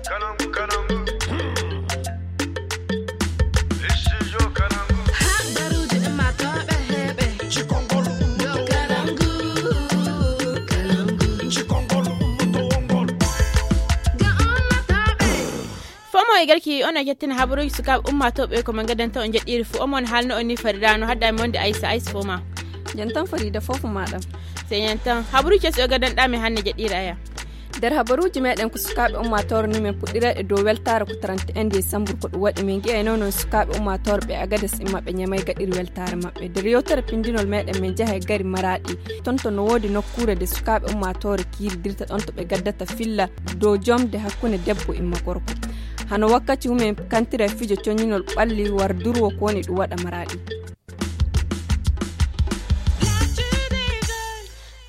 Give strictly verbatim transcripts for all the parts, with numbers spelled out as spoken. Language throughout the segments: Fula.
Fomo e garki on e kettina habaruuji sukaaɓe ummaatooɓe ko men gadanta on jeɗɗiiri fof. Omon haalno on ni farida no hadda mi wonde aysa aysa fof ma. Jantan farida fof maɗam. Sey jantan habaruuji kesi o gadanɗa mi hannde jeɗɗiiri aya. Nder habaruuji meɗen ko sukaaɓe ummaatoore ni men puɗɗirayɗe dow weltaare ko trente et un décembre ko ɗum waɗi men ngi'ayno noon sukaaɓe ummaatoore ɓe agadas imma ɓe ñamay gaɗiri weltaare maɓɓe nder yewtere pindinol meɗen men jaha e gari maraɗi. Toon to no woodi nokkuure nde sukaaɓe ummaatoore kiiridirta ɗoon to ɓe gaddata filla dow jomde hakkunde debbo imma gorko. Hano wakkati mumen kantira e fijo coñinol ɓalli war durwo ko woni ɗum waɗa maraɗi.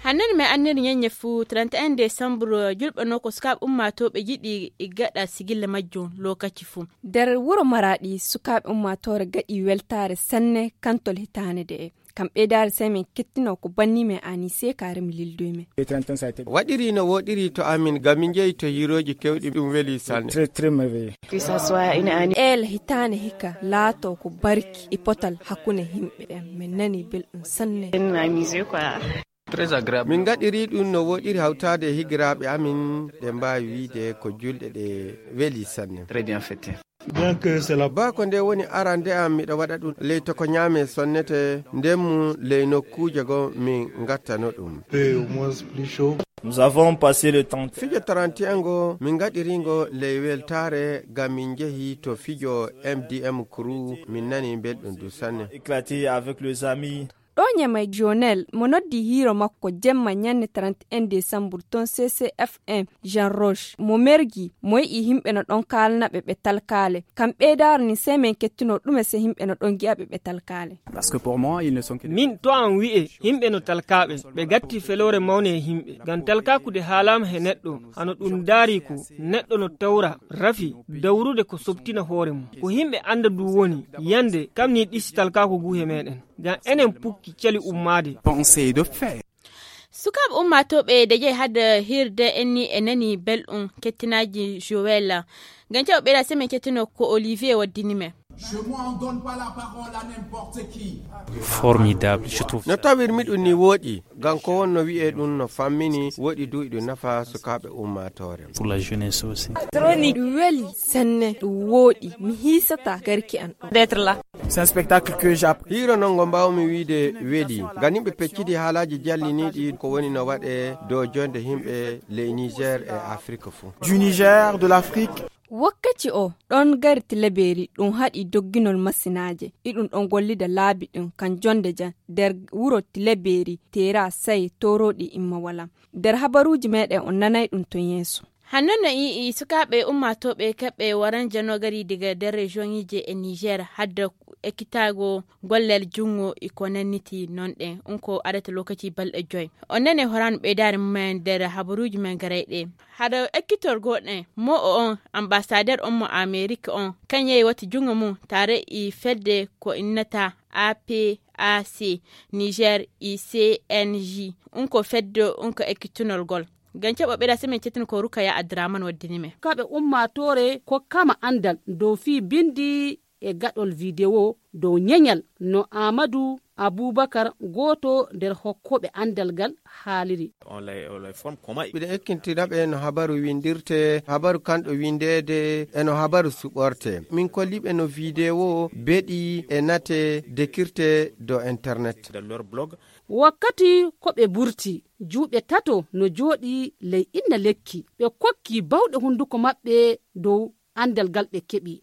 Hannde men anniri ñeññe fuu trente et un décembre julɓe no ko sukaaɓe ummaatooɓe yiɗi gaɗa sigilla majjum lokaci fuu. Nder wuro maraɗi sukaaɓe ummaatoore gaɗi weltaare sanne kantol hitaande de e kam ɓeydaare sey men kettino ko banni men anise karemi lildoy men. Waɗiri no woɗiri to amin ngam min njehi to hiirooji kewɗi ɗum weli sanne. Eel hitaande hikka laato ko barki e potal hakkunde yimɓe ɓen min nani belɗum sanne. Min ngaɗiri ɗum no woɗiri hawtaade e higiraaɓe amin ɗe mbaawi wiide ko julɗe ɗe weli sanne. Ba ko nde woni arande am miɗo waɗa ɗum ley to ko ñaame sonnete ndemmu ley nokkuuje goo min ngattano ɗum. Nous avons passé le temps. Fijo trente et un ngo min ngaɗiri ngo ley weltaare ngam min njehi to fijo M D M crew min nani belɗum du sanne. Éclaté avec les amis. Ɗo ñamay jonel mo noddi hiiro makko jemma ñande trente et un décembre ton C C F un Jean Roche mo mergi mo yi'i yimɓe no ɗon kaalnaɓe ɓe talkaale. Kam ɓeydaare ni sey men kettuno ɗume se yimɓe no ɗon gi'aɓe ɓe talkaale. Min to an wi'e yimɓe no talkaaɓe ɓe gatti feloore mawne e yimɓe ngam talkaakude haalaama he neɗɗo hano ɗum daari ko neɗɗo no tawra rafi dawrude ko sobtina hoore mum ko yimɓe annda du woni yande kam ni ɗisi talkaaku ngu he meɗen ngam enen pukki cali ummaade. Sukaaɓe ummaatooɓe de jeyi hade hirde enni e nani belɗum kettinaaji Joël. Ngam caw ɓeyda semen kettino ko Olivier waddini men. Formidable, je trouve. No tawirmi ɗum ni wooɗi ngam ko wonno wi'e ɗum no fammini wooɗi du iɗum nafa sukaaɓe ummaatoore. Pour la jeunesse aussi. Ɗum weli senne ɗum wooɗi mi hiisata garki an ɗo. D'être là. C'est un spectacle que j'app- Hiiro non ngo mbaawmi wiide weli ngam yimɓe peccidi haalaaji jalliniiɗi ko woni no waɗe dow jonde yimɓe ley Niger e Afrique fuu. Du Niger, de l'Afrique. Wakkati o ɗon gari Tilaberi ɗum haɗi dogginol masinaaje iɗum ɗon gollida laabi ɗin kan jonde jan nder wuro Tilaberi teera saye toroɗi imma wala. Nder habaruuji meɗen on nanay ɗum ton yeeso. Hannon no ii sukaaɓe ummaatooɓe kaɓɓe waran janogari daga nder regioniije e Niger hadda ekkitaago gollal junngo e ko nanniti non ɗen on ko adata lokaci balɗe joy. On nane horan ɓeydaare mumen nder habaruuji men garayɗe. Hade ekkitorgol ɗen mo o on ambasader on mo Amerik on kan yehi watti junngo mum tare e fedde ko innata A P A C Niger e C N J on ko fedde on ko ekkitunol gol. Ngam caɓo ɓeyda semen cettino ko Rukaya Adraman waddini men. Kaɓe ummaatoore kokkama anndal dow fii binndi e gaɗol video dow ñeñal no Aamadu Abuubakar gooto nder hokkooɓe anndal ngal haaliri. Miɗo ekkintina ɓe no habaru windirte, habaru kanɗo windeede e no habaru suɓorte. Min kolli ɓe no video beɗi e nate dekirte dow internet. Wakkati ko ɓe burti, juuɗe tato no jooɗi ley inna lekki. Ɓe kokki bawɗe hunnduko maɓɓe dow anndal ngal ɓe keɓi.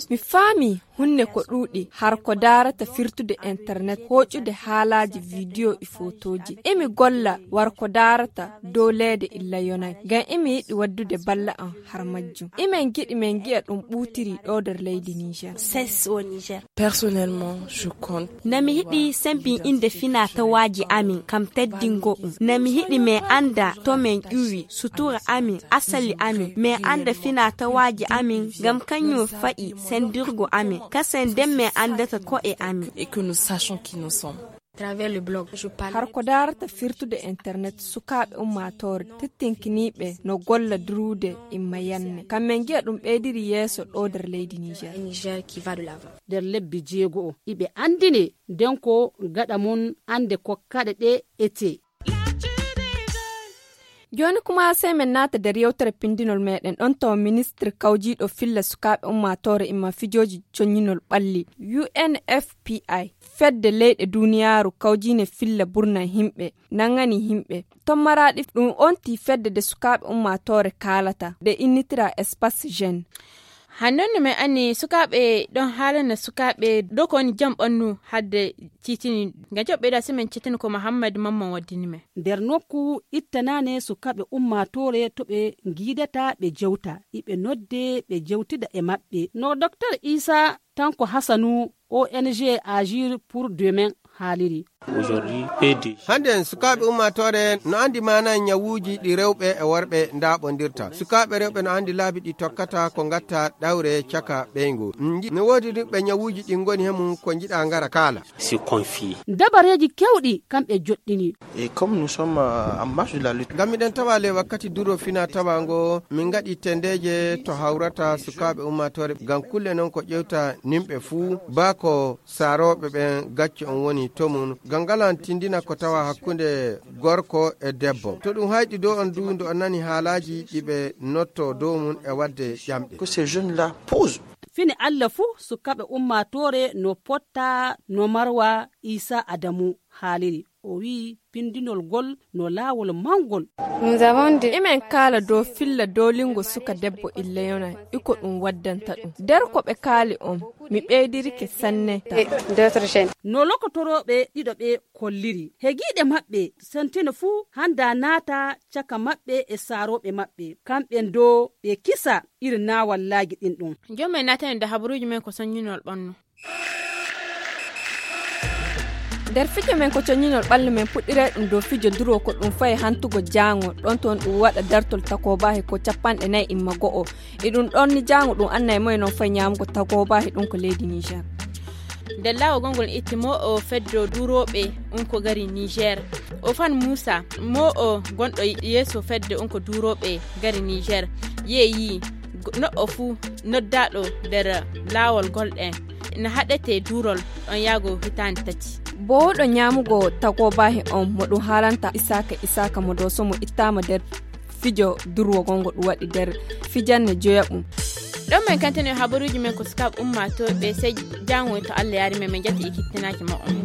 Mi faami hunne ko ɗuuɗi har ko daarata firtude internet hooƴude haalaaji video e fotooji emi golla war ko daarata dow leede illa yonay ngam emi yiɗi waddude balla am har majjum imen giɗi men ngi'a ɗum ɓuutiri ɗo nder leydi Niger. Personnellement je compte. Nami hiɗi sembi inde fina tawaaji amin kam teddingo ɗum nami hiɗi men annda to men ƴuwi sutura amin asali amin men annda fina tawaaji amin ngam kañum fa'i senndirgo amin kasen nden men anndata ko'e amin. Et que nous sachions qui nous sommes. Har ko daarata firtude internet, sukaaɓe ummaatoore tettinkiniiɓe no golla duruude imma yanne. Kamɓe ngiya ɗum ɓeydiri yeeso ɗo nder leydi Niger. Nder lebbi jeego o iɓe anndine nden ko gaɗa mun annde kokkaɗe ɗe ete. Jooni kuma sey men naata nder yewtere pindinol meɗen ɗon tawa ministre kawjiiɗo filla sukaaɓe ummaatoore imma fijooji coññinol ɓalli, unfpi, fedde leyɗe duniyaaru kawjiine filla burna himɓe nangani himɓe tommaraaɗi ɗum onti fedde de sukaaɓe ummaatoore kaalata de innitira espace jeune. Hannon no men anni sukaaɓe ɗon haalana sukaaɓe dow ko woni jam ɓannu hadde titini. Ngam joɓɓe ɗa simen cetini ko muhammad mamman waddini men. Nder nokku ittanane sukaaɓe ummaatoore to ɓe ngiidata ɓe jewta iɓe nodde ɓe jewtida e maɓɓe no docteur isa tanko hasanu, ong agir pour demain, haaliri. Hannde en sukaaɓe ummaatoore no anndi maana ñawuuji ɗi rewɓe e worɓe ndaaɓondirta. Sukaaɓe rewɓe no anndi laabi ɗi tokkata ko ngatta ɗawre caka ɓeyngu. No woodi rewɓe ñawuuji ɗi ngoni he mum ko njiɗa ngara kaala. Dabareeji kewɗi kamɓe joɗɗini. Ngam miɗen tawa le wakkati duro fina tawa ngo min ngaɗi tendeeje to hawrata sukaaɓe ummaatoore ngam kulle noon ko ƴewta nimɓe fuu baa ko saarooɓe ɓen gacce on woni to mum ngam ngalan tindina ko tawa hakkunde gorko e debbo to ɗum hayɗi dow on du nde on nani haalaaji ɗi ɓe notto dow mum e waɗde ƴamɗe. Fini allah fuu sukaaɓe ummaatoore no potta no marwa isa adamu haaliri o wi'i pindinol ngol no laawol mawngol. Imen kaala dow filla doolingo suka debbo illeyona iko ɗum waddanta ɗum nder ko ɓe kaali on mi ɓeydirike sanne. No lokotorooɓe ɗiɗo ɓe kolliri he giiɗe maɓɓe sentino fuu hannda naata caka maɓɓe e saarooɓe maɓɓe kamɓen do ɓe kisa iri naawallaaji ɗin ɗum. Joom men naatani nde habaruuji men ko soññinol ɓannu. Nder fijo men ko coñinol ɓallu men puɗɗiray ɗum dow fijo duro ko ɗum fayi hantugo jaango ɗon toon ɗum waɗa dartol takobahi ko capanɗe nayi imma go'o. E ɗum ɗon ni jaango ɗum annay moye noon fayi ñaamugo takobahi ɗum ko leydi niger. Nder laawol gongol itti mo o feddo durooɓe, um ko gari niger. O fan muusa mo o gonɗo yeeso fedde um ko durooɓe gari niger. Yeeyi noɗɗo fuu noddaaɗo nder laawol golɗen no haɗete duurol ɗon yaago hitaande tati. Boowɗo ñaamugo tagoobahi on mo ɗum haalanta isaaka isaaka mo dooso mo ittaama nder fijo durwogol ngo ɗum waɗi nder fijanne joyaɓum. Ɗon min kantini habaruuji men ko sukaaɓe ummaatooɓe sey jaango to allah yaari men min jatti ikittinaaki mo on.